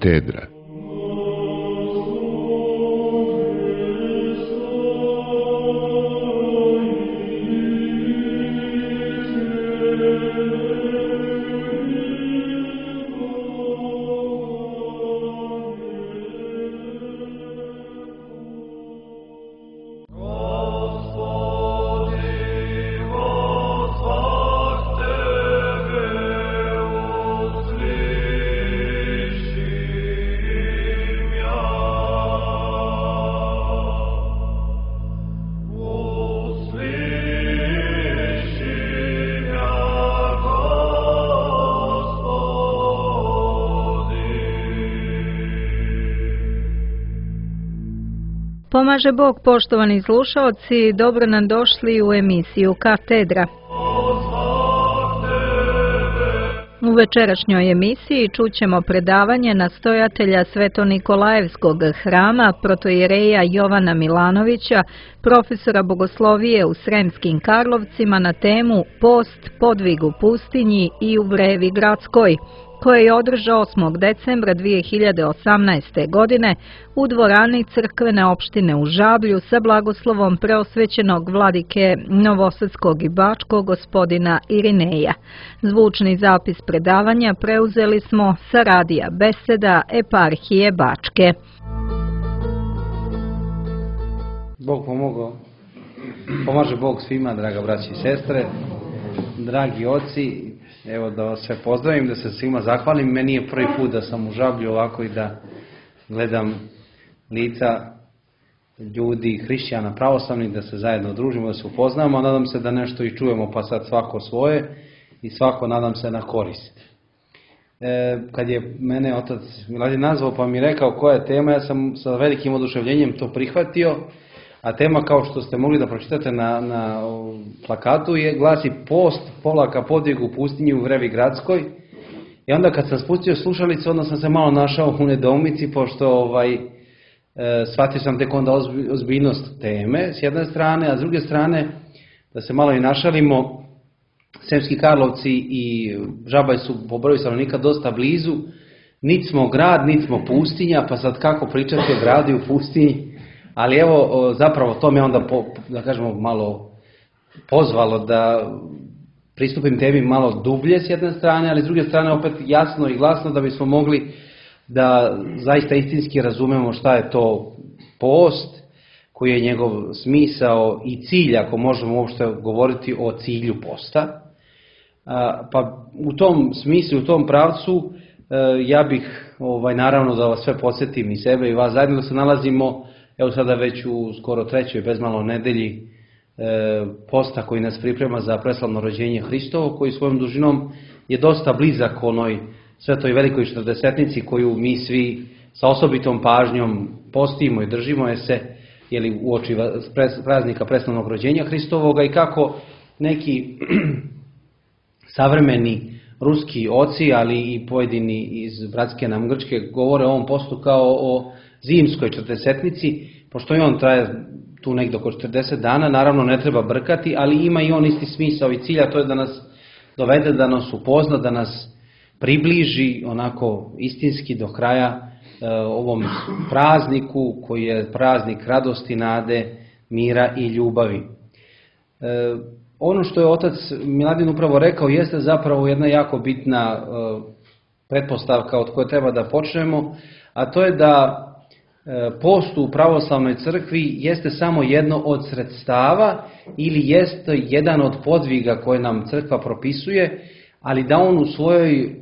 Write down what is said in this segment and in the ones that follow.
Katedra. Pomaže Bog, poštovani slušaoci, dobro nam došli u emisiju Katedra. U večerašnjoj emisiji čućemo predavanje nastojatelja Sveto-Nikolajevskog hrama, protoijereja Jovana Milanovića, profesora bogoslovije u Sremskim Karlovcima na temu Post, podvig u pustinji i u Vrevi Gradskoj, koje je održao 8. decembra 2018. godine u dvorani crkvene opštine u Žablju sa blagoslovom preosvećenog vladike Novosadskog i Bačkog gospodina Irineja. Zvučni zapis predavanja preuzeli smo sa radija Beseda eparhije Bačke. Bog pomogao. Pomaže Bog svima, draga braći i sestre, dragi oci. Evo da vas sve pozdravim, da se svima zahvalim. Meni je prvi put da sam u Žablju ovako i da gledam lica ljudi, hrišćana, pravoslavnih, da se zajedno družimo, da se upoznamo. Nadam se da nešto i čujemo, pa sad svako svoje i svako, nadam se, na korist. Kad je mene otac Miladin nazvao pa mi rekao koja je tema, ja sam sa velikim oduševljenjem to prihvatio. A tema, kao što ste mogli da pročitate na plakatu, glasi Post, polaka, podvig u pustinji u Vrevi Gradskoj. I onda kad sam spustio slušalicu, onda sam se malo našao u nedoumici, pošto shvatio sam tek onda ozbiljnost teme s jedne strane, a s druge strane, da se malo i našalimo, Sremski Karlovci i Žabalj su po broju stanovnika dosta blizu. Niti smo grad, niti smo pustinja, pa sad kako pričati o gradu i u pustinji. Ali evo, zapravo to me onda, da kažemo, malo pozvalo da pristupim temi malo dublje s jedne strane, ali s druge strane opet jasno i glasno da bismo mogli da zaista istinski razumemo šta je to post, koji je njegov smisao i cilj, ako možemo uopšte govoriti o cilju posta. Pa u tom smislu, u tom pravcu, ja bih naravno da vas sve podsjetim i sebe i vas zajedno, da se nalazimo evo sada već u skoro 3. bezmalo nedelji posta koji nas priprema za preslavno rođenje Hristovo, koji svojom dužinom je dosta blizak onoj svetoj velikoj četrdesetnici koju mi svi sa osobitom pažnjom postimo i držimo je se uoči praznika preslavnog rođenja Hristovoga, i kako neki savremeni ruski oci, ali i pojedini iz bratske nam Grčke govore o ovom postu kao o zimskoj četrdesetnici, pošto i on traje tu negdje oko 40 dana, naravno ne treba brkati, ali ima i on isti smisao i cilj, a to je da nas dovede, da nas upozna, da nas približi onako istinski do kraja ovom prazniku koji je praznik radosti, nade, mira i ljubavi. Ono što je otac Miladin upravo rekao jeste zapravo jedna jako bitna pretpostavka od koje treba da počnemo, a to je da post u pravoslavnoj crkvi jeste samo jedno od sredstava ili jeste jedan od podviga koje nam crkva propisuje, ali da on u svojoj,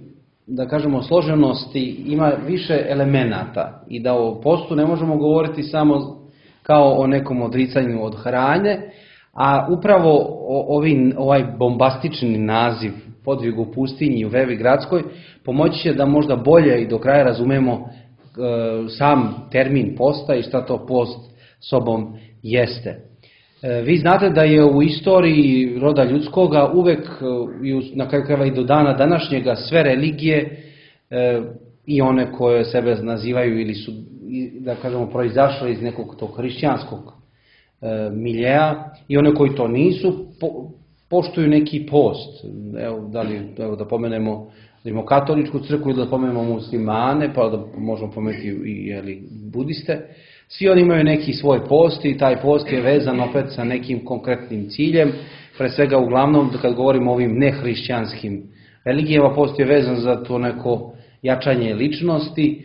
da kažemo, složenosti ima više elemenata i da o postu ne možemo govoriti samo kao o nekom odricanju od hrane, a upravo ovaj bombastični naziv podvig u pustinji u Vrevi Gradskoj pomoći će da možda bolje i do kraja razumemo sam termin posta i šta to post sobom jeste. Vi znate da je u istoriji roda ljudskoga uvek, na kraju krajeva i do dana današnjega, sve religije i one koje sebe nazivaju ili su, da kažemo, proizašle iz nekog tog hrišćanskog miljeja, i one koji to nisu, poštuju neki post. Evo da pomenemo rimokatoličku crkvu ili da spomenemo muslimane, pa da možemo pomenuti i budiste. Svi oni imaju neki svoj post i taj post je vezan opet sa nekim konkretnim ciljem. Pre svega, uglavnom, kad govorimo o ovim nehrišćanskim religijama, post je vezan za to neko jačanje ličnosti.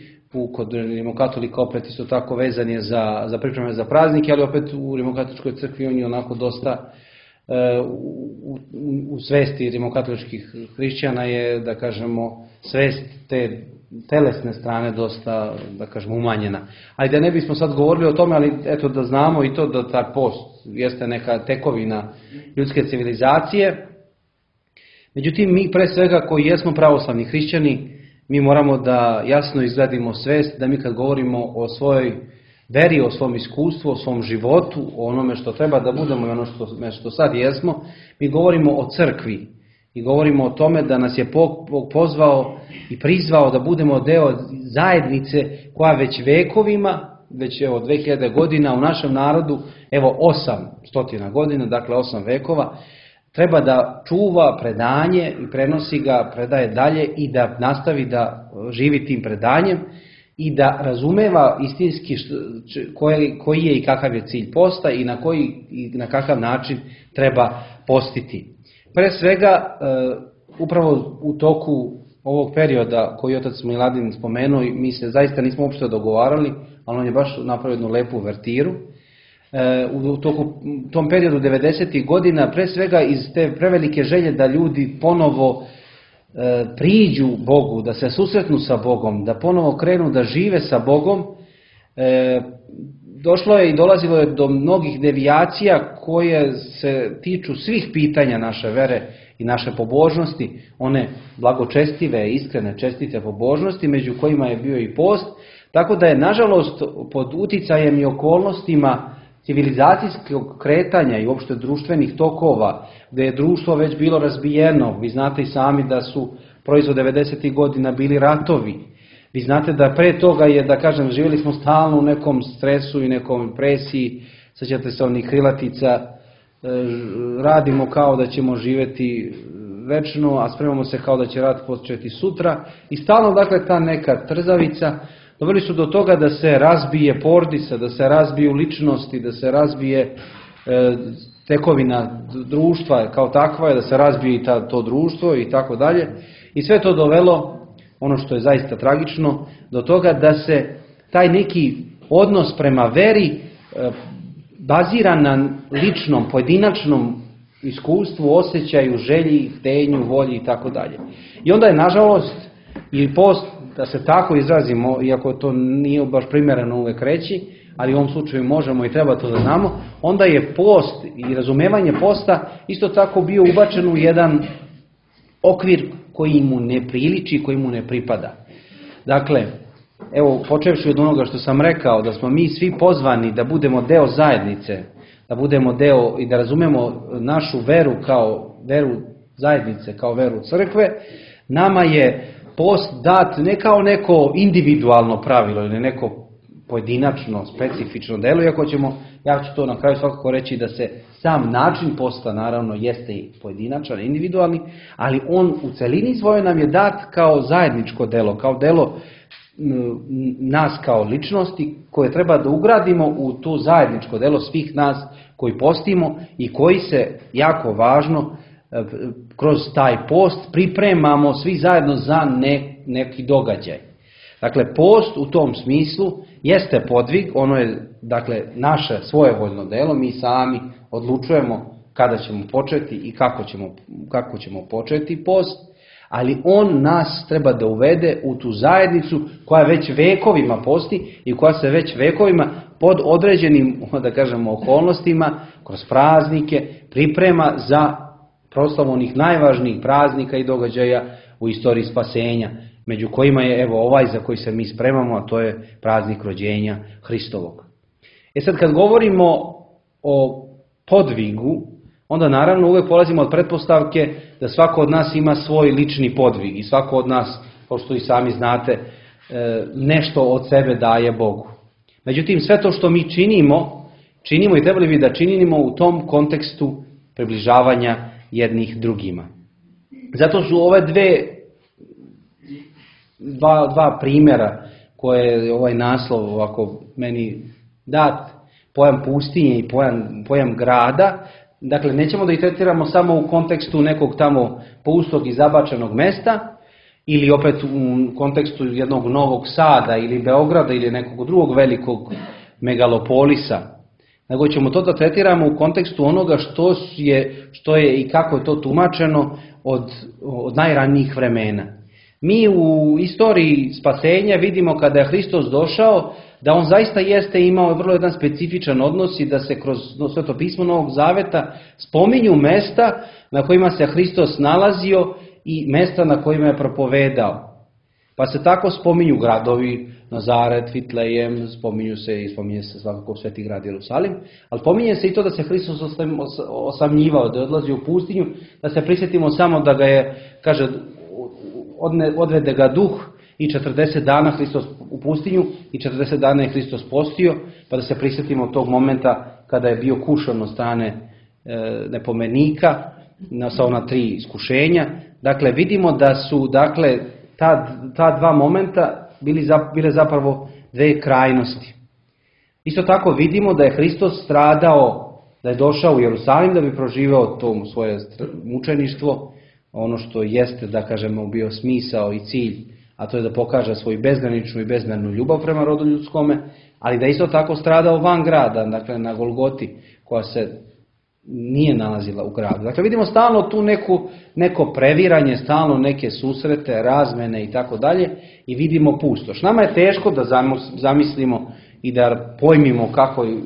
Kod rimokatolika opet isto tako vezan je za pripreme za praznike, ali opet u rimokatoličkoj crkvi on je onako dosta u svesti rimokatoličkih hrišćana je, da kažemo, svest te telesne strane dosta, da kažemo, umanjena. Ali da ne bismo sad govorili o tome, ali eto da znamo i to da taj post jeste neka tekovina ljudske civilizacije. Međutim, mi pre svega koji jesmo pravoslavni hrišćani, mi moramo da jasno izgradimo svest da mi kad govorimo o svojoj veri, o svom iskustvu, o svom životu, o onome što treba da budemo i ono što sad jesmo, mi govorimo o crkvi i govorimo o tome da nas je Bog pozvao i prizvao da budemo deo zajednice koja već vekovima, već 2000 godina u našem narodu, 800 godina, dakle 8 vekova, treba da čuva predanje i prenosi ga, predaje dalje i da nastavi da živi tim predanjem i da razumeva istinski koji je i kakav je cilj posta i na kakav način treba postiti. Pre svega, upravo u toku ovog perioda koji je otac Miladin spomenuo, mi se zaista nismo uopšte dogovarali, ali on je baš napravio jednu lepu vertiru. U tom periodu 90. godina, pre svega iz te prevelike želje da ljudi ponovo priđu Bogu, da se susretnu sa Bogom, da ponovo krenu da žive sa Bogom, došlo je i dolazilo je do mnogih devijacija koje se tiču svih pitanja naše vere i naše pobožnosti, one blagočestive, iskrene, čestite pobožnosti, među kojima je bio i post, tako da je, nažalost, pod uticajem i okolnostima civilizacijskog kretanja i uopšte društvenih tokova, gde je društvo već bilo razbijeno, vi znate i sami da su proizvod 90. godina bili ratovi, vi znate da pre toga je, da kažem, živjeli smo stalno u nekom stresu i nekom presiji, sećate se onih krilatica, radimo kao da ćemo živjeti večno, a spremamo se kao da će rat početi sutra i stalno, dakle, ta neka trzavica doveli su do toga da se razbije porodica, da se razbiju ličnosti, da se razbije tekovina društva kao takva, da se razbije i to društvo i tako dalje. I sve to dovelo, ono što je zaista tragično, do toga da se taj neki odnos prema veri bazira na ličnom, pojedinačnom iskustvu, osjećaju, želji, htenju, volji i tako dalje. I onda je, nažalost, i post, da se tako izrazimo, iako to nije baš primjereno uvek reći, ali u ovom slučaju možemo i treba to da znamo, onda je post i razumevanje posta isto tako bio ubačen u jedan okvir koji mu ne priliči, koji mu ne pripada. Dakle, evo, počevši od onoga što sam rekao, da smo mi svi pozvani da budemo deo zajednice, da budemo deo i da razumemo našu veru kao veru zajednice, kao veru crkve, nama je post dat ne kao neko individualno pravilo ili neko pojedinačno, specifično delo, iako ja ću to na kraju svakako reći da se sam način posta naravno jeste i pojedinačan, individualni, ali on u celini svojoj nam je dat kao zajedničko delo, kao delo nas kao ličnosti koje treba da ugradimo u to zajedničko delo svih nas koji postimo i koji se, jako važno, kroz taj post pripremamo svi zajedno za neki događaj. Dakle, post u tom smislu jeste podvig, ono je, dakle, naše svojevoljno delo, mi sami odlučujemo kada ćemo početi i kako ćemo početi post, ali on nas treba da uvede u tu zajednicu koja već vekovima posti i koja se već vekovima pod određenim, da kažemo, okolnostima, kroz praznike, priprema za proslavu onih najvažnijih praznika i događaja u istoriji spasenja, među kojima je, evo, ovaj za koji se mi spremamo, a to je praznik rođenja Hristovog. Sad, kad govorimo o podvigu, onda naravno uvek polazimo od pretpostavke da svako od nas ima svoj lični podvig i svako od nas, kao što i sami znate, nešto od sebe daje Bogu. Međutim, sve to što mi činimo i trebali bi da činimo u tom kontekstu približavanja jednih drugima. Zato su ove dve dva primjera koje je ovaj naslov ovako meni dat, pojam pustinje i pojam grada. Dakle, nećemo da ih tretiramo samo u kontekstu nekog tamo pustog i zabačenog mesta, ili opet u kontekstu jednog Novog Sada ili Beograda ili nekog drugog velikog megalopolisa, nego ćemo to da tretiramo u kontekstu onoga što je i kako je to tumačeno od najranijih vremena. Mi u istoriji spasenja vidimo kada je Hristos došao, da on zaista jeste imao vrlo jedan specifičan odnos i da se kroz Sveto pismo Novog Zaveta spominju mesta na kojima se Hristos nalazio i mesta na kojima je propovedao. Pa se tako spominju gradovi, Nazaret, Vitlejem, spominje se svakako Sveti grad Jerusalim, ali spominje se i to da se Hristos osamljivao, da je odlazio u pustinju, da se prisjetimo samo da ga je, kaže, odvede ga duh i 40 dana Hristos u pustinju i 40 dana je Hristos postio, pa da se prisjetimo tog momenta kada je bio kušan od strane nepomenika sa ona 3 iskušenja. Dakle, vidimo da su ta dva momenta bile zapravo dve krajnosti. Isto tako vidimo da je Hristos stradao, da je došao u Jerusalim da bi proživeo to svoje mučeništvo, ono što jeste, da kažemo, bio smisao i cilj, a to je da pokaže svoju bezgraničnu i bezmernu ljubav prema rodu ljudskome, ali da isto tako stradao van grada, dakle na Golgoti, koja se nije nalazila u gradu. Dakle, vidimo stalno tu neko previranje, stalno neke susrete, razmene i tako dalje, i vidimo pustoš. Nama je teško da zamislimo i da pojmimo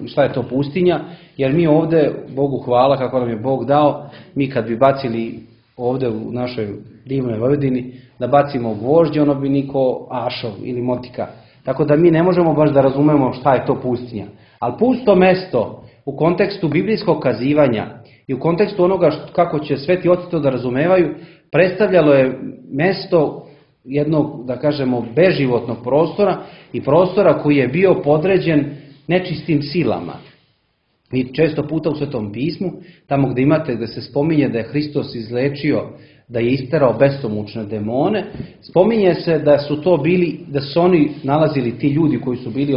šta je to pustinja, jer mi ovdje, Bogu hvala kako nam je Bog dao, mi kad bi bacili ovdje u našoj divnoj Vojvodini, da bacimo gvožđe, ono bi niko ašov ili motika. Tako da mi ne možemo baš da razumemo šta je to pustinja. Ali pusto mesto u kontekstu biblijskog kazivanja i u kontekstu onoga kako će sveti oci to da razumevaju, predstavljalo je mesto jednog, da kažemo, beživotnog prostora i prostora koji je bio podređen nečistim silama. I često puta u Svetom pismu, tamo gdje imate da se spominje da je Hristos izlečio, da je isterao besomučne demone, spominje se da su to bili, da su oni nalazili ti ljudi koji su bili,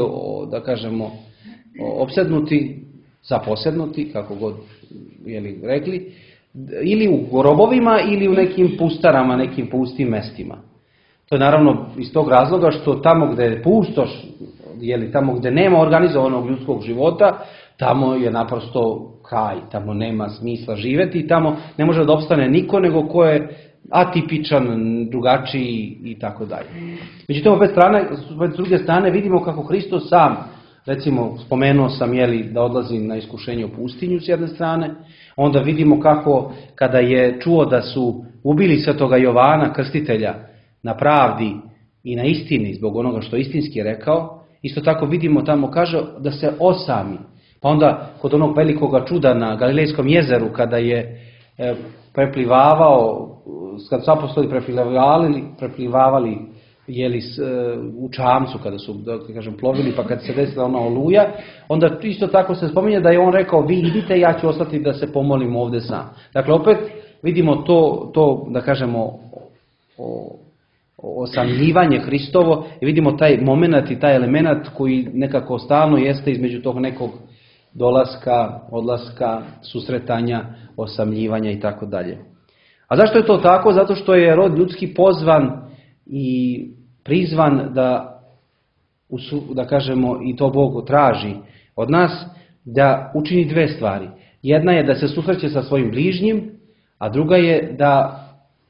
da kažemo, opsednuti, zaposednuti, kako god rekli, ili u grobovima ili u nekim pustarama, nekim pustim mestima. To je naravno iz tog razloga što tamo gdje je pustoš, tamo gdje nema organizovanog ljudskog života, tamo je naprosto kraj, tamo nema smisla živjeti i tamo ne može da opstane niko nego ko je atipičan, drugačiji i tako dalje. Međutim, opet s druge strane vidimo kako Hristos sam, recimo spomenuo sam da odlazi na iskušenje u pustinju s jedne strane, onda vidimo kako kada je čuo da su ubili svetoga Jovana Krstitelja na pravdi i na istini zbog onoga što istinski je rekao, isto tako vidimo tamo kaže da se osami. Pa onda kod onog velikoga čuda na Galilejskom jezeru kada je preplivavao, kad su apostoli preplivavali u čamcu kada su, da kažem, plovili, pa kad se desila ona oluja, onda isto tako se spominje da je on rekao vi idite, ja ću ostati da se pomolim ovdje sam. Dakle, opet vidimo to da kažemo, osamljivanje Hristovo i vidimo taj moment i taj element koji nekako stalno jeste između tog nekog dolaska, odlaska, susretanja, osamljivanja i tako dalje. A zašto je to tako? Zato što je rod ljudski pozvan i prizvan da kažemo, i to Bog traži od nas, da učini dve stvari. Jedna je da se susreće sa svojim bližnjim, a druga je da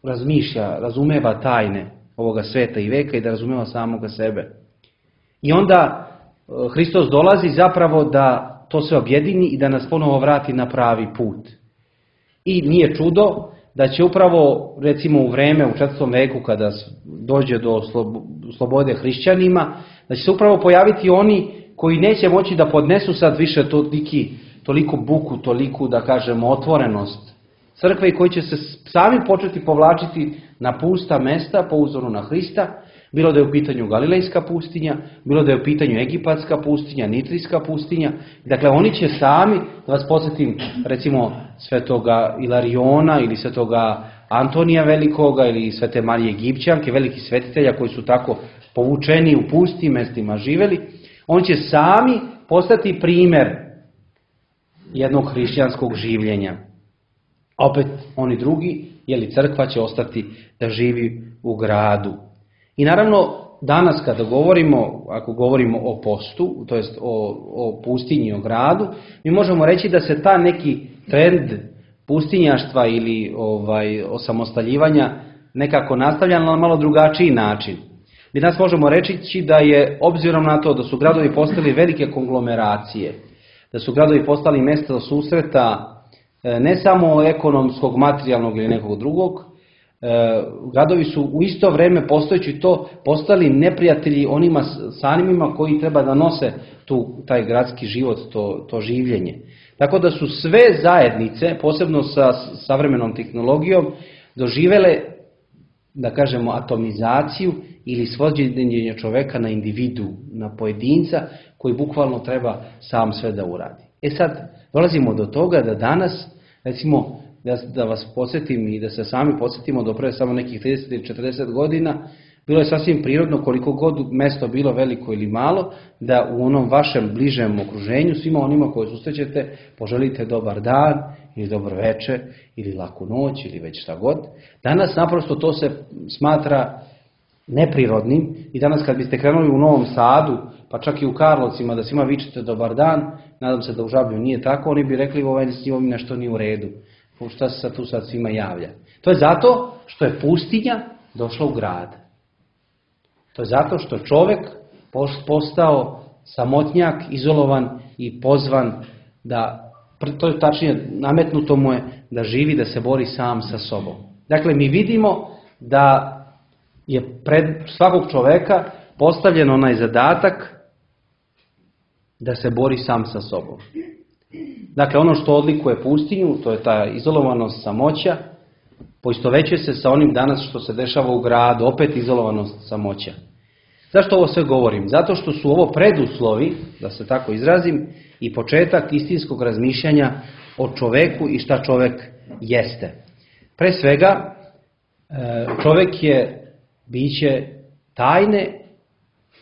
razmišlja, razumeva tajne ovoga sveta i veka i da razumeva samoga sebe. I onda Hristos dolazi zapravo da to sve objedini i da nas ponovo vrati na pravi put. I nije čudo da će upravo, recimo u vreme, u 4. veku, kada dođe do slobode hrišćanima, da će se upravo pojaviti oni koji neće moći da podnesu sad više toliku buku, toliku, da kažemo, otvorenost crkve i koji će se sami početi povlačiti na pusta mesta po uzoru na Hrista, bilo da je u pitanju Galilejska pustinja, bilo da je u pitanju Egipatska pustinja, Nitrijska pustinja. Dakle, oni će sami, da vas podsjetim, recimo svetoga Ilariona ili svetoga Antonija Velikoga ili Svete Marije Egipćanke, velikih svetitelja koji su tako povučeni u pustim mestima živeli, on će sami postati primjer jednog hrišćanskog življenja. A opet oni drugi, crkva će ostati da živi u gradu. I naravno, danas kada govorimo, ako govorimo o postu, to jest o pustinji, o gradu, mi možemo reći da se ta neki trend pustinjaštva ili osamostaljivanja nekako nastavlja na malo drugačiji način. Mi danas možemo reći da je, obzirom na to da su gradovi postali velike konglomeracije, da su gradovi postali mjesta susreta ne samo ekonomskog, materijalnog ili nekog drugog, gradovi su u isto vrijeme postojeći to postali neprijatelji onima samima koji treba da nose taj gradski život, to življenje. Tako da su sve zajednice, posebno sa savremenom tehnologijom, doživjele, da kažemo, atomizaciju ili svođenje čoveka na individu, na pojedinca koji bukvalno treba sam sve da uradi. Sad dolazimo do toga da danas, recimo, da vas podsjetim i da se sami podsjetimo do pre samo nekih 30 ili 40 godina, bilo je sasvim prirodno, koliko god mesto bilo veliko ili malo, da u onom vašem bližem okruženju svima onima koje susrećete poželite dobar dan ili dobro večer ili laku noć ili već šta god. Danas naprosto to se smatra neprirodnim i danas kad biste krenuli u Novom Sadu, pa čak i u Karlovcima da svima vičete dobar dan, nadam se da u Žablju nije tako, oni bi rekli s njim nešto nije u redu. Šta se tu sad svima javlja? To je zato što je pustinja došla u grad. To je zato što čovjek postao samotnjak, izolovan i pozvan da, to je tačnije, nametnuto mu je da živi, da se bori sam sa sobom. Dakle, mi vidimo da je pred svakog čovjeka postavljen onaj zadatak da se bori sam sa sobom. Dakle, ono što odlikuje pustinju, to je ta izolovanost, samoća, poistovećuje se sa onim danas što se dešava u gradu, opet izolovanost, samoća. Zašto ovo sve govorim? Zato što su ovo preduslovi, da se tako izrazim, i početak istinskog razmišljanja o čoveku i šta čovek jeste. Pre svega, čovek je biće tajne,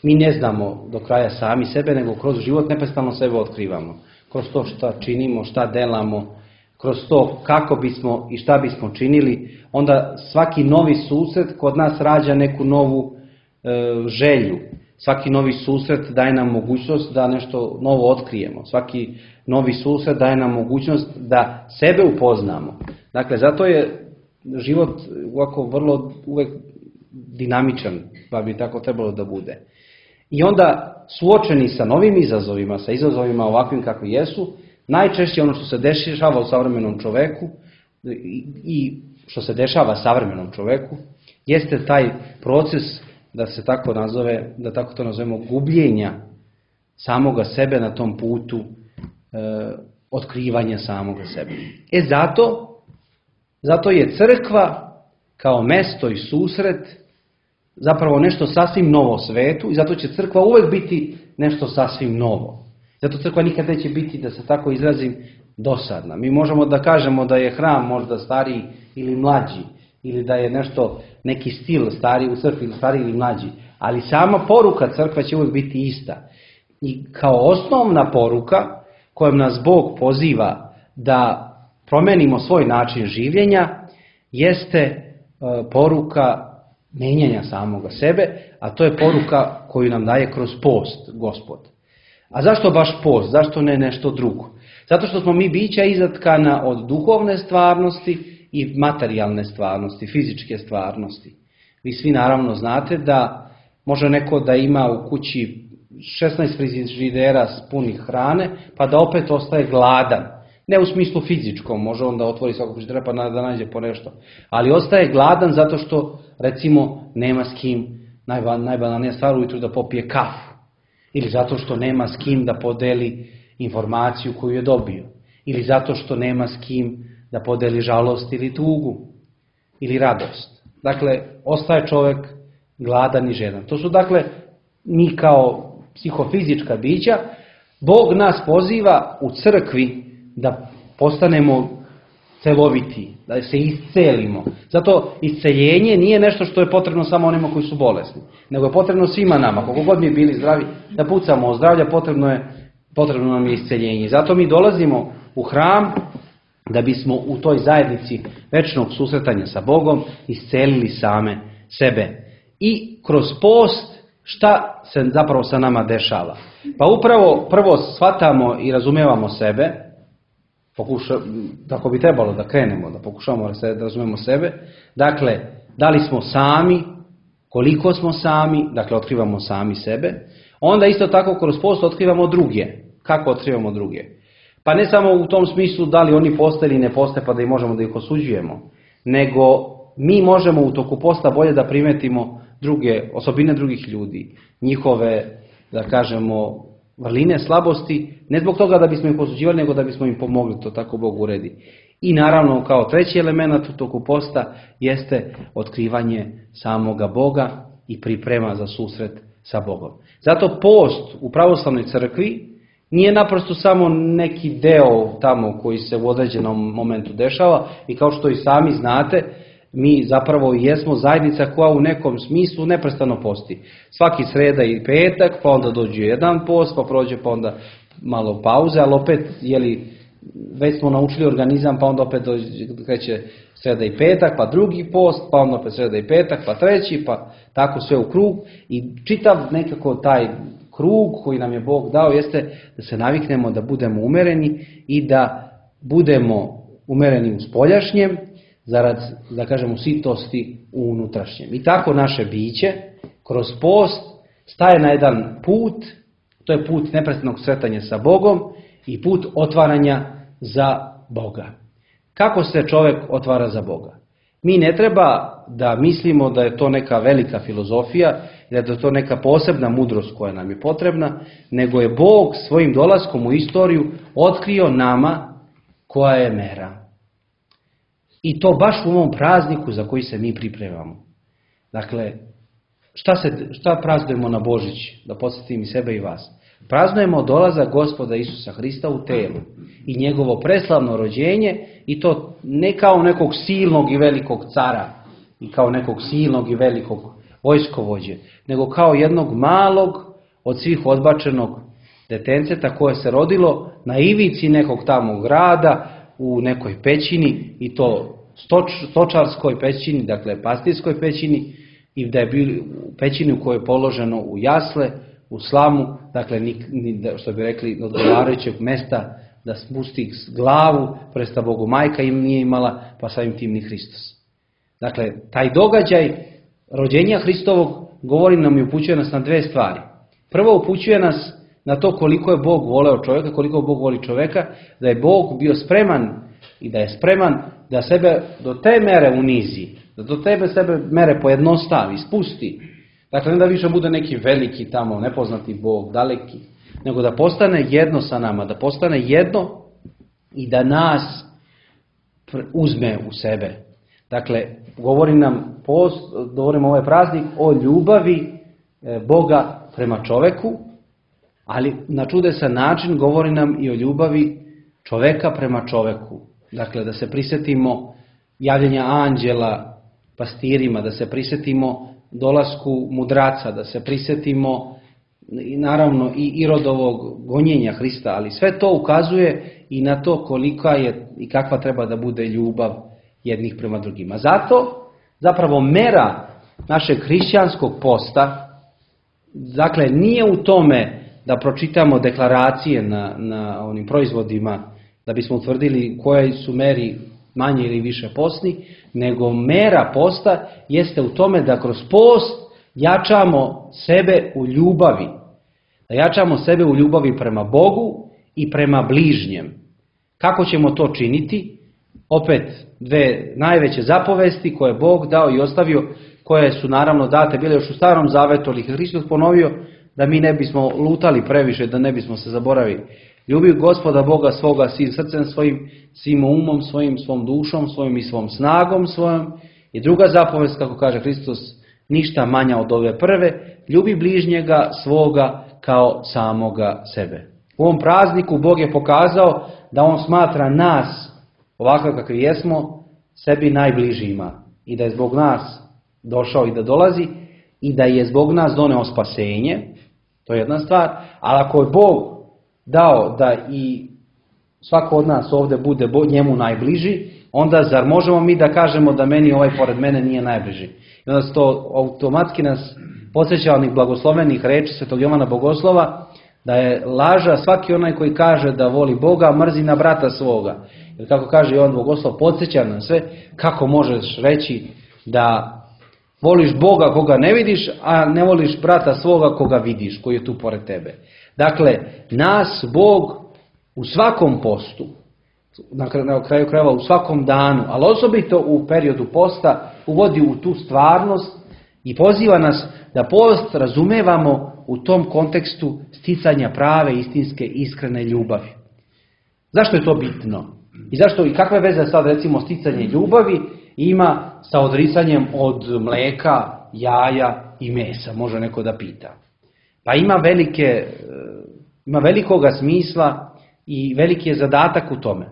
mi ne znamo do kraja sami sebe, nego kroz život neprestano sebe otkrivamo. Kroz to šta činimo, šta delamo, kroz to kako bismo i šta bismo činili, onda svaki novi susret kod nas rađa neku novu želju. Svaki novi susret daje nam mogućnost da nešto novo otkrijemo. Svaki novi susret daje nam mogućnost da sebe upoznamo. Dakle, zato je život ovako vrlo uvek dinamičan, pa bi tako trebalo da bude. I onda suočeni sa novim izazovima, sa izazovima ovakvim kakvi jesu, najčešće ono što se dešava u savremenom čoveku i što se dešava savremenom čoveku jeste taj proces, da se tako nazove, da tako to nazovemo, gubljenja samoga sebe na tom putu otkrivanja samoga sebe. Zato je crkva kao mesto i susret zapravo nešto sasvim novo svetu i zato će crkva uvek biti nešto sasvim novo. Zato crkva nikad neće biti, da se tako izrazim, dosadna. Mi možemo da kažemo da je hram možda stariji ili mlađi, ili da je nešto, neki stil stariji u crkvi ili stariji ili mlađi, ali sama poruka crkva će uvijek biti ista. I kao osnovna poruka kojom nas Bog poziva da promenimo svoj način življenja jeste poruka menjanja samoga sebe, a to je poruka koju nam daje kroz post Gospod. A zašto baš post? Zašto ne nešto drugo? Zato što smo mi bića izatkana od duhovne stvarnosti i materijalne stvarnosti, fizičke stvarnosti. Vi svi naravno znate da može neko da ima u kući 16 frižidera punih hrane, pa da opet ostaje gladan. Ne u smislu fizičkom, može on da otvori svakog frižidera pa da nađe po nešto. Ali ostaje gladan zato što, recimo, nema s kim, najbanalnija stvar, ujutru da popije kafu. Ili zato što nema s kim da podeli informaciju koju je dobio. Ili zato što nema s kim da podeli žalost ili tugu. Ili radost. Dakle, ostaje čovjek gladan i žedan. To su, dakle, mi kao psihofizička bića, Bog nas poziva u crkvi da postanemo celoviti, da se iscelimo. Zato isceljenje nije nešto što je potrebno samo onima koji su bolesni, nego je potrebno svima nama, koliko god mi bili zdravi, da pucamo o zdravlja, potrebno nam je isceljenje. Zato mi dolazimo u hram da bismo u toj zajednici večnog susretanja sa Bogom iscelili same sebe. I kroz post šta se zapravo sa nama dešava? Pa upravo prvo shvatamo i razumijevamo sebe, tako bi trebalo da krenemo, da pokušamo da razumijemo sebe. Dakle, da li smo sami, koliko smo sami, dakle otkrivamo sami sebe. Onda isto tako kroz post otkrivamo druge. Kako otkrivamo druge? Pa ne samo u tom smislu da li oni postoje ili ne postoje pa da možemo da ih osuđujemo, nego mi možemo u toku posta bolje da primetimo osobine drugih ljudi, njihove, da kažemo, vrline, slabosti, ne zbog toga da bismo ih osuđivali, nego da bismo im pomogli, to tako Bog uredi. I naravno, kao treći element u toku posta jeste otkrivanje samoga Boga i priprema za susret sa Bogom. Zato post u pravoslavnoj crkvi nije naprosto samo neki deo tamo koji se u određenom momentu dešava i kao što i sami znate, mi zapravo jesmo zajednica koja u nekom smislu neprestano posti. Svaki sreda i petak, pa onda dođe jedan post, pa prođe, pa onda malo pauze, ali opet, već smo naučili organizam, pa onda opet kreće sreda i petak, pa drugi post, pa onda opet sreda i petak, pa treći, pa tako sve u krug. I čitav nekako taj krug koji nam je Bog dao jeste da se naviknemo da budemo umereni i da budemo umereni u spoljašnjem, zarad, da kažemo, sitosti u unutrašnjem. I tako naše biće kroz post staje na jedan put, to je put neprestanog sretanja sa Bogom i put otvaranja za Boga. Kako se čovjek otvara za Boga? Mi ne treba da mislimo da je to neka velika filozofija, da je to neka posebna mudrost koja nam je potrebna, nego je Bog svojim dolaskom u istoriju otkrio nama koja je mera. I to baš u ovom prazniku za koji se mi pripremamo. Dakle, šta praznujemo na Božić? Da podsjetim i sebe i vas. Praznujemo dolazak Gospoda Isusa Hrista u telu i njegovo preslavno rođenje, i to ne kao nekog silnog i velikog cara i kao nekog silnog i velikog vojskovođe, nego kao jednog malog, od svih odbačenog detenceta koje se rodilo na ivici nekog tamo grada, u nekoj pećini, i to stočarskoj pećini, dakle pastirskoj pećini, i da je bilo u pećini u kojoj je položeno u jasle, u slamu, dakle što bi rekli odgovarajućeg mesta da spusti glavu, presta Bogu majka im nije imala, pa samim tim ni Hristos. Dakle, taj događaj rođenja Hristovog govori nam i upućuje nas na dve stvari. Prvo, upućuje nas na to koliko je Bog voleo čovjeka, koliko Bog voli čovjeka, da je Bog bio spreman i da je spreman da sebe do te mere unizi, da do tebe sebe mere pojednostavi, spusti. Dakle, ne da više bude neki veliki tamo, nepoznati Bog, daleki, nego da postane jedno sa nama, da postane jedno i da nas uzme u sebe. Dakle, govorimo ovaj praznik o ljubavi Boga prema čoveku, ali na čudesan način govori nam i o ljubavi čoveka prema čoveku. Dakle, da se prisjetimo javljanja anđela pastirima, da se prisjetimo dolasku mudraca, da se prisjetimo naravno i Irodovog gonjenja Hrista, ali sve to ukazuje i na to kolika je i kakva treba da bude ljubav jednih prema drugima. Zato zapravo mera našeg hrišćanskog posta, dakle, nije u tome da pročitamo deklaracije na onim proizvodima da bismo utvrdili koje su meri manje ili više postni, nego mera posta jeste u tome da kroz post jačamo sebe u ljubavi. Da jačamo sebe u ljubavi prema Bogu i prema bližnjem. Kako ćemo to činiti? Opet dve najveće zapovesti koje je Bog dao i ostavio, koje su naravno date bile još u Starom Zavetu, ali Hristos ponovio da mi ne bismo lutali previše, da ne bismo se zaboravili. Ljubi Gospoda Boga svoga svim srcem svojim, svim umom svojim, svom dušom svojim i svom snagom svojom. I druga zapovest, kako kaže Hristos, ništa manja od ove prve, ljubi bližnjega svoga kao samoga sebe. U ovom prazniku Bog je pokazao da on smatra nas ovakav kakvi jesmo, sebi najbližima i da je zbog nas došao i da dolazi i da je zbog nas doneo spasenje, to je jedna stvar, ali ako je Bog dao da i svako od nas ovdje bude njemu najbliži, onda zar možemo mi da kažemo da meni ovaj pored mene nije najbliži? I onda se to automatski nas podsjeća onih blagoslovenih reči Svetog Jovana Bogoslova, da je laža svaki onaj koji kaže da voli Boga, mrzi na brata svoga. Jer kako kaže Jovan Bogoslov, podsjeća nam sve kako možeš reći da voliš Boga koga ne vidiš, a ne voliš brata svoga koga vidiš, koji je tu pored tebe. Dakle, nas Bog u svakom postu, na kraju krajeva u svakom danu, ali osobito u periodu posta, uvodi u tu stvarnost i poziva nas da post razumevamo u tom kontekstu sticanja prave, istinske, iskrene ljubavi. Zašto je to bitno? I zašto i kakve veze sad recimo sticanje ljubavi ima sa odricanjem od mlijeka, jaja i mesa, može neko da pita. Pa ima velikoga smisla i veliki je zadatak u tome.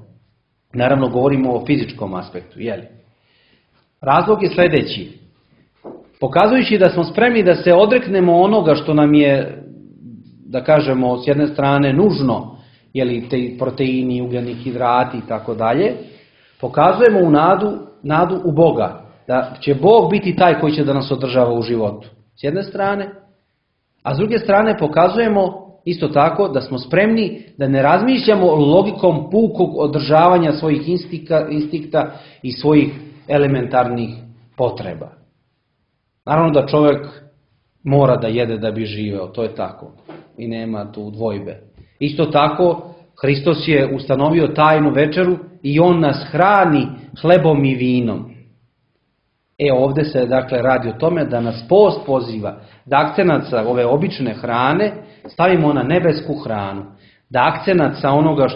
Naravno govorimo o fizičkom aspektu, jeli? Razlog je sljedeći. Pokazujući da smo spremni da se odreknemo onoga što nam je, da kažemo, s jedne strane nužno, jeli, te proteini, ugljeni hidrati i tako dalje, pokazujemo u nadu u Boga. Da će Bog biti taj koji će da nas održava u životu. S jedne strane. A s druge strane pokazujemo isto tako da smo spremni da ne razmišljamo logikom pukog održavanja svojih instikta i svojih elementarnih potreba. Naravno da čovjek mora da jede da bi živeo, to je tako. I nema tu dvojbe. Isto tako, Hristos je ustanovio tajnu večeru i on nas hrani hlebom i vinom. Ovdje se dakle radi o tome da nas post poziva da akcenat sa ove obične hrane stavimo na nebesku hranu. Da akcenat sa onoga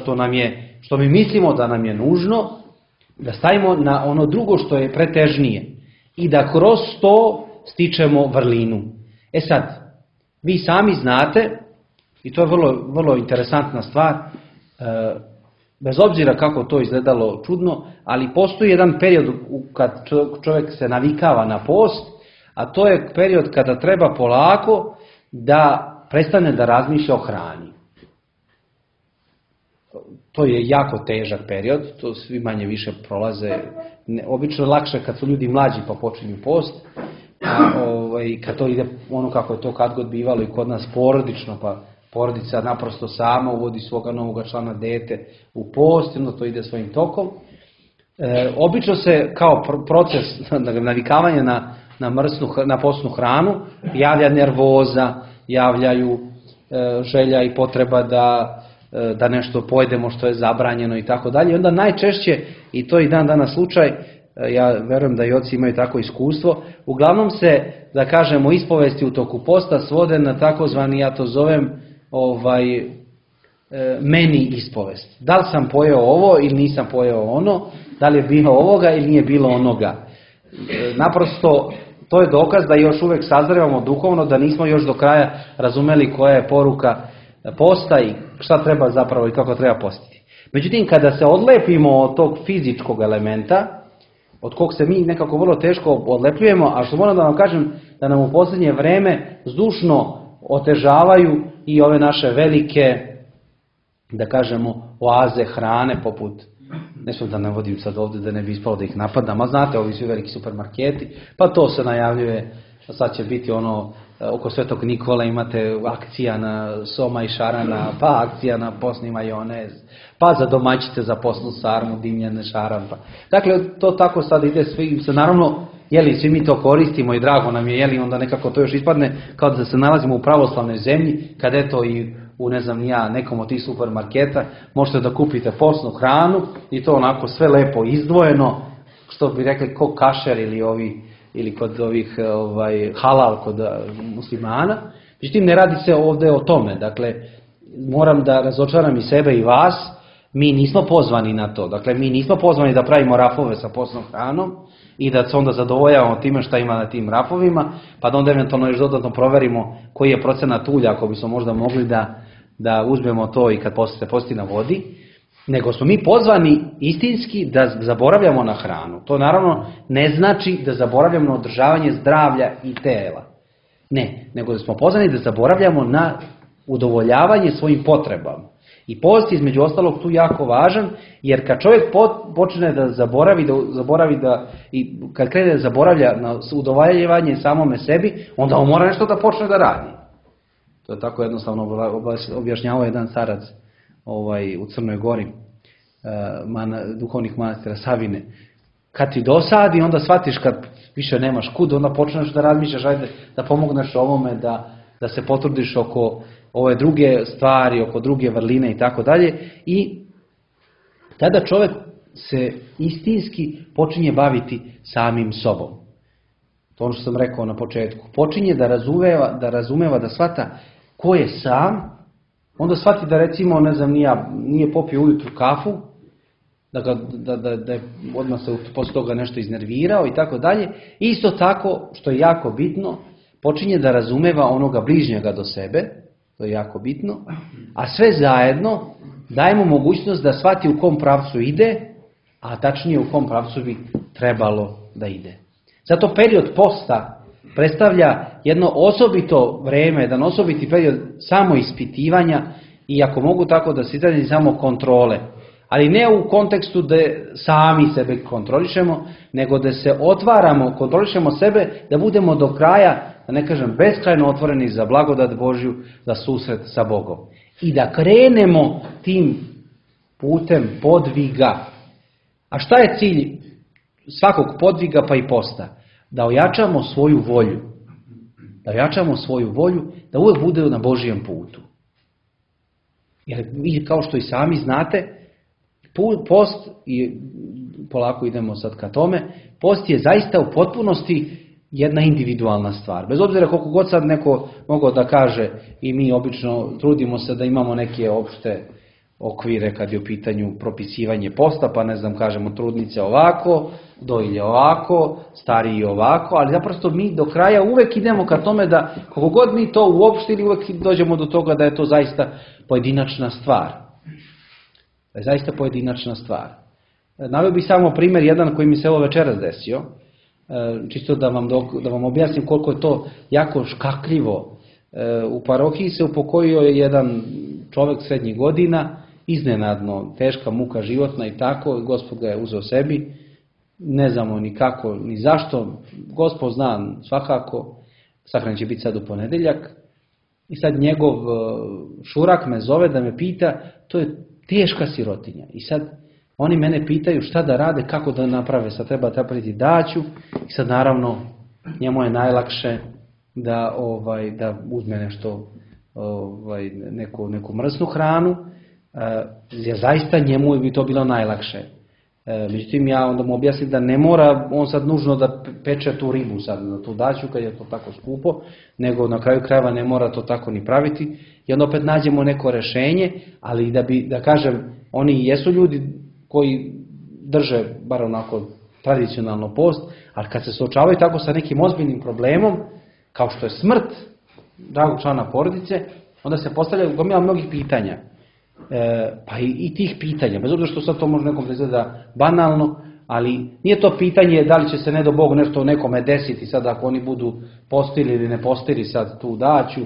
što mi mislimo da nam je nužno, da stavimo na ono drugo što je pretežnije. I da kroz to stičemo vrlinu. Sad, vi sami znate, i to je vrlo, vrlo interesantna stvar, bez obzira kako to izgledalo čudno, ali postoji jedan period kad čovjek se navikava na post, a to je period kada treba polako da prestane da razmišlja o hrani. To je jako težak period, to svi manje više prolaze. Obično je lakše kad su ljudi mlađi pa počinju post, kad to ide ono kako je to kad god bivalo i kod nas porodično, pa porodica naprosto sama uvodi svoga novoga člana dete u post, onda to ide svojim tokom. Obično se kao proces navikavanja na postnu hranu javlja nervoza, javljaju želja i potreba da nešto pojedemo što je zabranjeno i tako dalje. Onda najčešće, i to je i dan danas slučaj, ja verujem da i oci imaju tako iskustvo, uglavnom se, da kažemo, ispovesti u toku posta svode na takozvani, ja to zovem, meni ispovest. Da li sam pojeo ovo ili nisam pojeo ono, da li je bilo ovoga ili nije bilo onoga. Naprosto, to je dokaz da još uvijek sazrevamo duhovno, da nismo još do kraja razumeli koja je poruka posta i šta treba zapravo i kako treba postiti. Međutim, kada se odlepimo od tog fizičkog elementa, od kog se mi nekako vrlo teško odlepljujemo, a što moram da vam kažem da nam u posljednje vreme zdušno otežavaju i ove naše velike, da kažemo, oaze hrane poput, ne znam da ne vodim sad ovdje da ne bi ispalo da ih napadam, a znate ovi svi veliki supermarketi, pa to se najavljuje, sad će biti ono, oko Svetog Nikole imate akcija na soma i šarana, pa akcija na posni majonez, pa za domaćice za posnu sarmu, dimljene šarampa. Dakle, to tako sad ide svi, naravno, svi mi to koristimo i drago nam je, onda nekako to još ispadne kao da se nalazimo u pravoslavnoj zemlji, kad eto i u nekom od tih supermarketa možete da kupite posnu hranu i to onako sve lepo izdvojeno, što bi rekli ko kašer ili kod ovih halal kod muslimana. Međutim, ne radi se ovdje o tome. Dakle, moram da razočaram i sebe i vas, mi nismo pozvani na to. Dakle, mi nismo pozvani da pravimo rafove sa posnom hranom i da se onda zadovoljavamo time šta ima na tim rafovima, pa da onda eventualno još dodatno proverimo koji je procenat ulja, ako bismo možda mogli da uzmemo to i kad se posti na vodi. nego smo mi pozvani istinski da zaboravljamo na hranu. To naravno ne znači da zaboravljamo na održavanje zdravlja i tela. Ne, nego da smo pozvani da zaboravljamo na udovoljavanje svojim potrebama. I post je između ostalog tu jako važan, jer kad čovjek počne da zaboravi i kad krene da zaboravlja na udovoljavanje samome sebi, onda on mora nešto da počne da radi. To je tako jednostavno objašnjavao jedan starac u Crnoj Gori, duhovnih manastira Savine. Kad ti dosadi, onda shvatiš kad više nemaš kud, onda počneš da razmišljaš, ajde da pomogneš ovome, da se potrudiš oko ove druge stvari, oko druge vrline i tako dalje. I tada čovjek se istinski počinje baviti samim sobom. To je ono što sam rekao na početku. Počinje da razumeva, da shvata ko je sam, onda shvati da recimo, ne znam, nije popio ujutru kafu, da je odmah se posle toga nešto iznervirao i tako dalje. Isto tako, što je jako bitno, počinje da razumeva onoga bližnjega do sebe, to je jako bitno, a sve zajedno daje mu mogućnost da shvati u kom pravcu ide, a tačnije u kom pravcu bi trebalo da ide. Zato period posta predstavlja jedno osobito vreme, jedan osobiti period samoispitivanja i ako mogu tako da se izrazim samo kontrole. Ali ne u kontekstu da sami sebe kontrolišemo, nego da se otvaramo, kontrolišemo sebe, da budemo do kraja, da ne kažem beskrajno otvoreni za blagodat Božju, za susret sa Bogom. I da krenemo tim putem podviga. A šta je cilj svakog podviga pa i posta? Da ojačamo svoju volju. Da ojačamo svoju volju, da uvijek bude na Božijem putu. Jer vi kao što i sami znate, post, i polako idemo sad ka tome, post je zaista u potpunosti jedna individualna stvar. Bez obzira koliko god sad neko mogao da kaže, i mi obično trudimo se da imamo neke opšte okvire kad je u pitanju propisivanje posta, pa ne znam, kažemo trudnice ovako, dojilje ovako, stariji ovako, ali zaprosto mi do kraja uvek idemo ka tome da koliko god mi to uopštili, uvek dođemo do toga da je to zaista pojedinačna stvar. Da je zaista pojedinačna stvar. Naveo bih samo primjer jedan koji mi se ovo večeras desio, čisto da vam objasnim koliko je to jako škakljivo. U parohiji se upokojio jedan čovjek srednjih godina, iznenadno, teška muka životna i tako, Gospod ga je uzeo sebi, ne znamo ni kako, ni zašto, Gospod zna svakako, sahranjen će biti sad u ponedeljak, i sad njegov šurak me zove da me pita, to je teška sirotinja, i sad oni mene pitaju šta da rade, kako da naprave, sad treba napraviti daću, i sad naravno njemu je najlakše da uzme nešto, neku mrsnu hranu, jer zaista njemu bi to bilo najlakše. Međutim, ja onda mu objasnim da ne mora on sad nužno da peče tu ribu sad na tu daću kad je to tako skupo, nego na kraju krajeva ne mora to tako ni praviti i onda opet nađemo neko rešenje, ali da kažem, oni jesu ljudi koji drže bar onako tradicionalno post, ali kad se suočavaju tako sa nekim ozbiljnim problemom, kao što je smrt dragog člana porodice, onda se postavlja gomila mnogih pitanja. Pa i tih pitanja, bez obzira što sad to može nekom izgleda banalno, ali nije to pitanje da li će se ne do Bog nešto nekome desiti sad ako oni budu postili ili ne postili sad tu daću,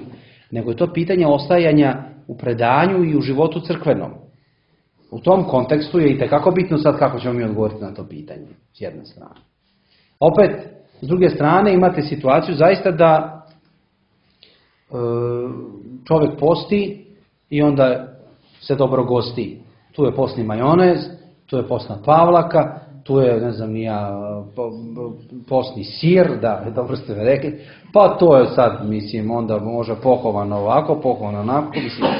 nego je to pitanje ostajanja u predanju i u životu crkvenom. U tom kontekstu je itekako bitno sad kako ćemo mi odgovoriti na to pitanje, s jedne strane. Opet, s druge strane imate situaciju zaista da čovjek posti i onda se dobro gosti. Tu je postni majonez, tu je postna pavlaka, tu je, ne znam, postni sir, da, dobro ste me rekli, pa to je sad, mislim, onda može pohovano ovako, pohovano onako, mislim.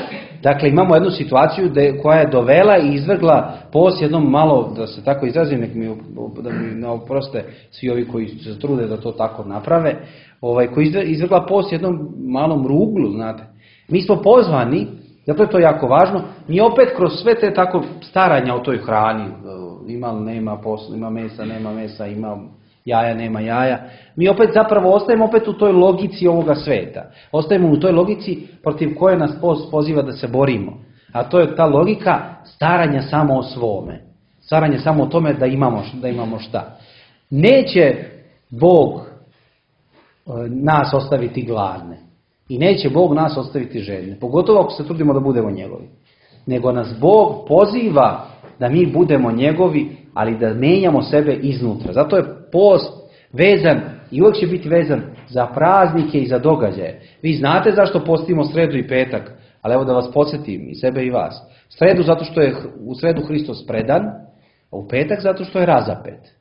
Dakle, imamo jednu situaciju koja je dovela i izvrgla post jednom malo, da se tako izrazim, da mi ne oproste svi ovi koji se trude da to tako naprave, koji izvrgla post jednom malom ruglu, znate. Mi smo pozvani, zato je to jako važno, mi opet kroz sve te tako staranja o toj hrani, ima li nema posla, ima mesa, nema mesa, ima jaja, nema jaja, mi opet zapravo ostajemo opet u toj logici ovoga sveta. Ostajemo u toj logici protiv koje nas post poziva da se borimo. A to je ta logika staranja samo o svome. Staranje samo o tome da imamo šta. Neće Bog nas ostaviti gladne. I neće Bog nas ostaviti željne. Pogotovo ako se trudimo da budemo njegovi. Nego nas Bog poziva da mi budemo njegovi, ali da menjamo sebe iznutra. Zato je post vezan i uvijek će biti vezan za praznike i za događaje. Vi znate zašto postimo sredu i petak, ali evo da vas podsjetim i sebe i vas. Sredu zato što je u sredu Hristos predan, a u petak zato što je razapet.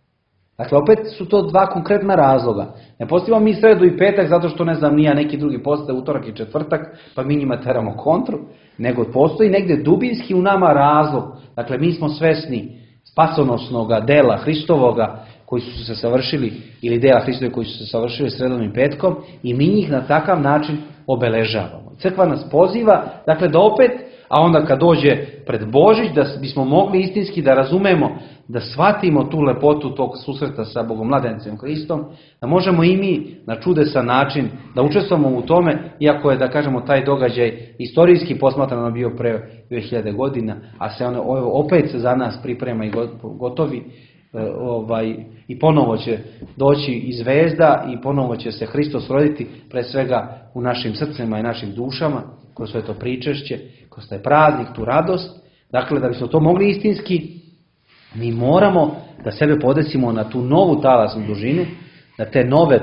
Dakle, opet su to dva konkretna razloga. Ne postimo mi sredu i petak zato što, ne znam, nija neki drugi postoje utorak i četvrtak, pa mi njima teramo kontru, nego postoji negdje dubinski u nama razlog. Dakle, mi smo svesni spasonosnoga dela Hristovoga koji su se savršili, ili dela Hristove koji su se savršili sredom i petkom, i mi njih na takav način obeležavamo. Crkva nas poziva, dakle, da opet, a onda kad dođe pred Božić, da bismo mogli istinski da razumemo, da shvatimo tu lepotu tog susreta sa Bogomladencem Hristom, da možemo i mi na čudesan način da učestvujemo u tome, iako je, da kažemo, taj događaj istorijski posmatrano bio pre 2000 godina, a se ono opet se za nas priprema i gotovi, i ponovo će doći i zvezda i ponovo će se Hristos roditi, pre svega u našim srcima i našim dušama, kroz sve to pričešće, kroz taj praznik, tu radost. Dakle, da bismo to mogli istinski, mi moramo da sebe podesimo na tu novu talasnu dužinu, na te nove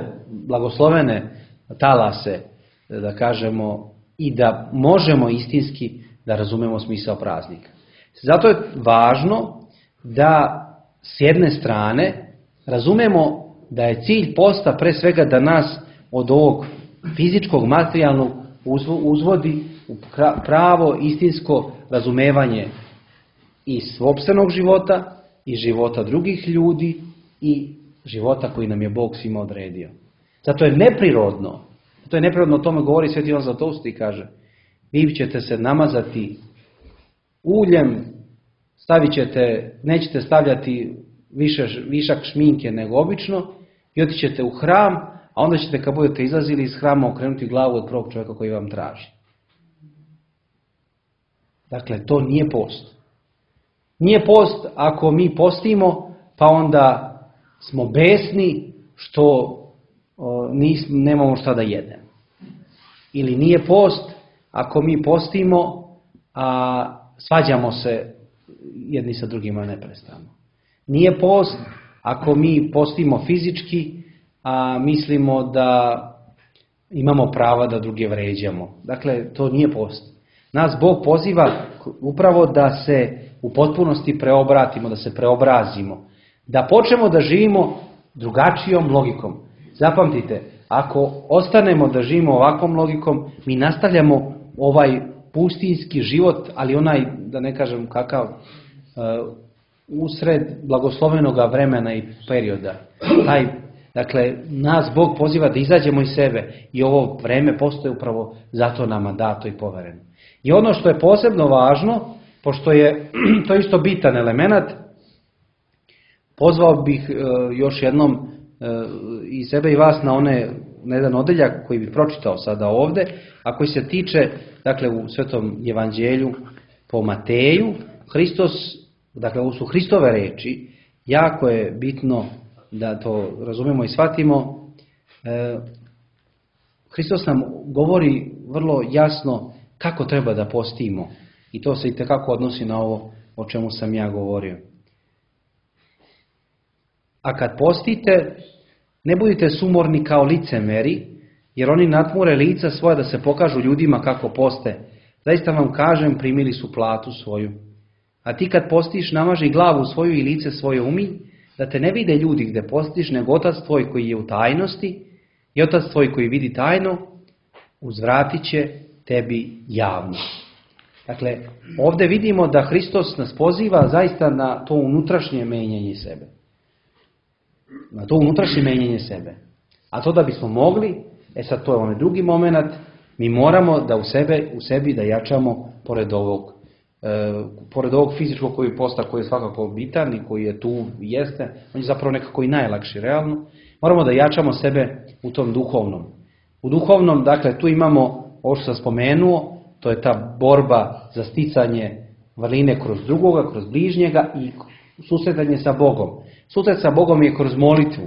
blagoslovene talase, da kažemo, i da možemo istinski da razumemo smisao praznika. Zato je važno da s jedne strane razumemo da je cilj posta pre svega da nas od ovog fizičkog, materijalnog uzvodi u pravo istinsko razumevanje i sopstvenog života, i života drugih ljudi, i života koji nam je Bog svima odredio. Zato je neprirodno, o tome govori Sveti Ivan Zlatoust i kaže: vi ćete se namazati uljem, nećete stavljati višak šminke nego obično i otićete u hram, a onda ćete, kad budete izlazili iz hrama, okrenuti glavu od prvog čovjeka koji vam traži. Dakle, to nije post. Nije post ako mi postimo, pa onda smo besni što nemamo šta da jedemo. Ili nije post ako mi postimo, a svađamo se jedni sa drugima neprestano. Nije post ako mi postimo fizički, a mislimo da imamo prava da druge vređamo. Dakle, to nije post. Nas Bog poziva upravo da se u potpunosti preobratimo, da se preobrazimo. Da počnemo da živimo drugačijom logikom. Zapamtite, ako ostanemo da živimo ovakvom logikom, mi nastavljamo ovaj pustinski život, ali onaj, da ne kažem kakav, usred blagoslovenoga vremena i perioda. Dakle, nas Bog poziva da izađemo iz sebe i ovo vreme postoje upravo zato nama dato i povereno. I ono što je posebno važno, pošto je to isto bitan element, pozvao bih još jednom i sebe i vas na jedan odeljak koji bih pročitao sada ovdje, a koji se tiče, dakle, u Svetom evanđelju po Mateju, Hristos, dakle, ovo su Hristove reči, jako je bitno da to razumemo i shvatimo. Hristos nam govori vrlo jasno kako treba da postimo, i to se itekako odnosi na ovo o čemu sam ja govorio. A kad postite, ne budite sumorni kao licemeri, jer oni natmure lica svoja da se pokažu ljudima kako poste. Zaista vam kažem, primili su platu svoju. A ti kad postiš, namaži glavu svoju i lice svoje umij, da te ne vide ljudi gdje postiš, nego Otac tvoj koji je u tajnosti, i Otac tvoj koji vidi tajno, uzvratit će tebi javno. Dakle, ovdje vidimo da Hristos nas poziva zaista na to unutrašnje menjanje sebe. Na to unutrašnje menjanje sebe. A to da bismo mogli, sad to je onaj drugi moment, mi moramo da u sebi da jačamo pored ovog fizičkog koji posta, koji je svakako bitan i koji je tu jeste, on je zapravo nekako i najlakši realno, moramo da jačamo sebe u tom duhovnom. U duhovnom, dakle, tu imamo ovo što sam spomenuo, To je ta borba za sticanje vrline kroz drugoga, kroz bližnjega i susretanje sa Bogom. Susret sa Bogom je kroz molitvu.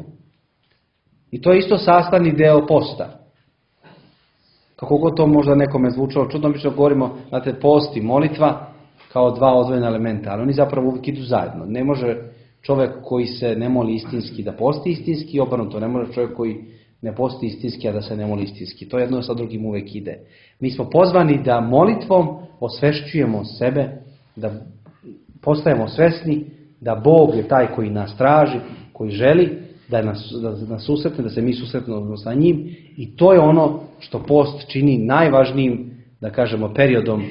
I to je isto sastavni deo posta. Kako god to možda nekome zvučalo čudno, mi što govorimo, znate, post i molitva kao dva odvojena elementa, ali oni zapravo uvijek idu zajedno. Ne može čovjek koji se ne moli istinski da posti istinski i obrnuto. Ne može čovjek koji ne posti istinski, a da se ne moli istinski. To jedno sa drugim uvijek ide. Mi smo pozvani da molitvom osvešćujemo sebe, da postajemo svesni da Bog je taj koji nas traži, koji želi da nas susretne, da se mi susretnemo sa njim, i to je ono što post čini najvažnijim, da kažemo, periodom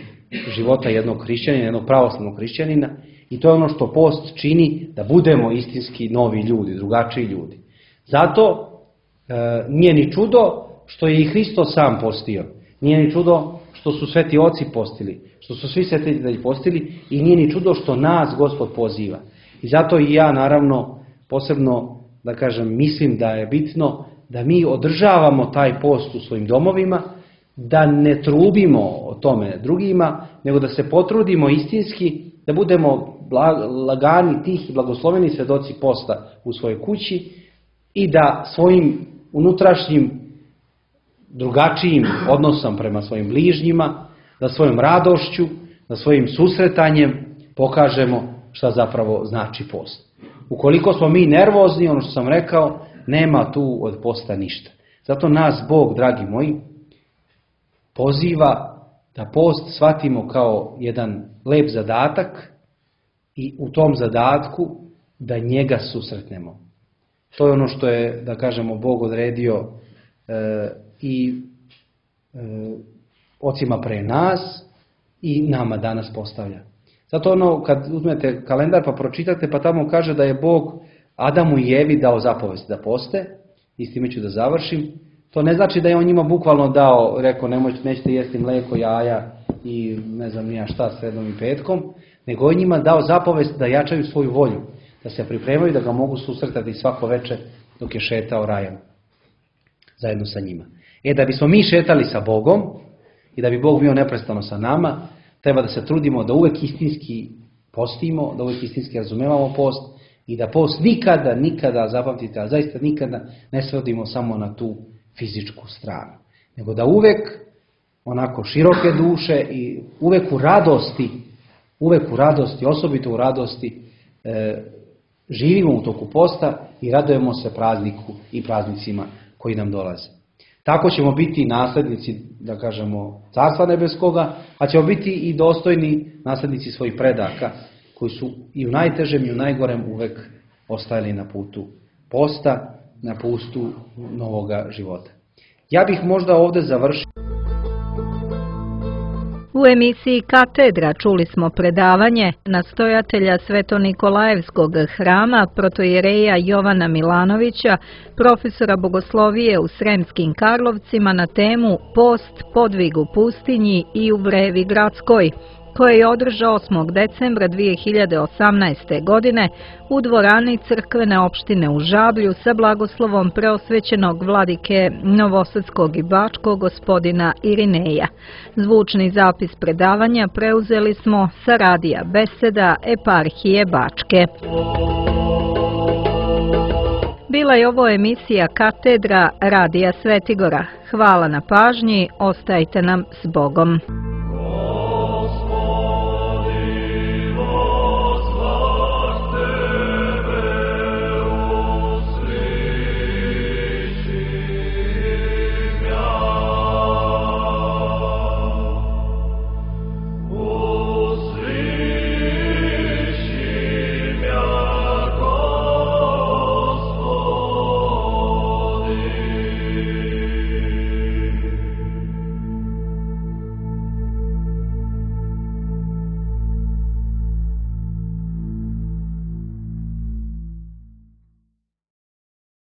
života jednog hrišćanina, jednog pravoslavnog hrišćanina, i to je ono što post čini da budemo istinski novi ljudi, drugačiji ljudi. Zato nije ni čudo što je i Hristos sam postio, nije ni čudo što su sveti oci postili, što su svi svetitelji postili, i nije ni čudo što nas Gospod poziva. I zato i ja, naravno, posebno, da kažem, mislim da je bitno da mi održavamo taj post u svojim domovima, da ne trubimo o tome drugima, nego da se potrudimo istinski, da budemo lagani, tih i blagosloveni svjedoci posta u svojoj kući i da svojim unutrašnjim drugačijim odnosom prema svojim bližnjima, da svojom radošću, da svojim susretanjem pokažemo šta zapravo znači post. Ukoliko smo mi nervozni, ono što sam rekao, nema tu od posta ništa. Zato nas Bog, dragi moji, poziva da post shvatimo kao jedan lep zadatak i u tom zadatku da njega susretnemo. To je ono što je, da kažemo, Bog odredio i ocima pre nas i nama danas postavlja. Zato ono, kad uzmete kalendar pa pročitate, pa tamo kaže da je Bog Adamu i Evi dao zapovest da poste, i s time ću da završim. To ne znači da je on njima bukvalno dao, rekao, nećete jesti mlijeko, jaja i ne znam nija šta sredom i petkom, nego je njima dao zapovest da jačaju svoju volju, da se pripremaju, da ga mogu susretati svako večer dok je šetao rajem zajedno sa njima. Da bismo mi šetali sa Bogom i da bi Bog bio neprestano sa nama, treba da se trudimo da uvek istinski postimo, da uvek istinski razumevamo post i da post nikada, zapamtite, a zaista nikada ne svodimo samo na tu fizičku stranu, nego da uvek onako široke duše i uvek u radosti, osobito u radosti, živimo u toku posta i radujemo se prazniku i praznicima koji nam dolaze. Tako ćemo biti naslednici, da kažemo, Carstva nebeskoga, a ćemo biti i dostojni naslednici svojih predaka, koji su i u najtežem i u najgorem uvek ostajali na putu posta, na putu novoga života. Ja bih možda ovdje završio. U emisiji Katedra čuli smo predavanje nastojatelja Sveto-Nikolajevskog hrama protoijereja Jovana Milanovića, profesora bogoslovije u Sremskim Karlovcima, na temu Post, podvig u pustinji i u Vrevi gradskoj, koje je održao 8. decembra 2018. godine u dvorani crkvene opštine u Žablju sa blagoslovom preosvećenog vladike Novosadskog i Bačkog gospodina Irineja. Zvučni zapis predavanja preuzeli smo sa radija Beseda Eparhije Bačke. Bila je ovo emisija Katedra radija Svetigora. Hvala na pažnji, ostajte nam s Bogom.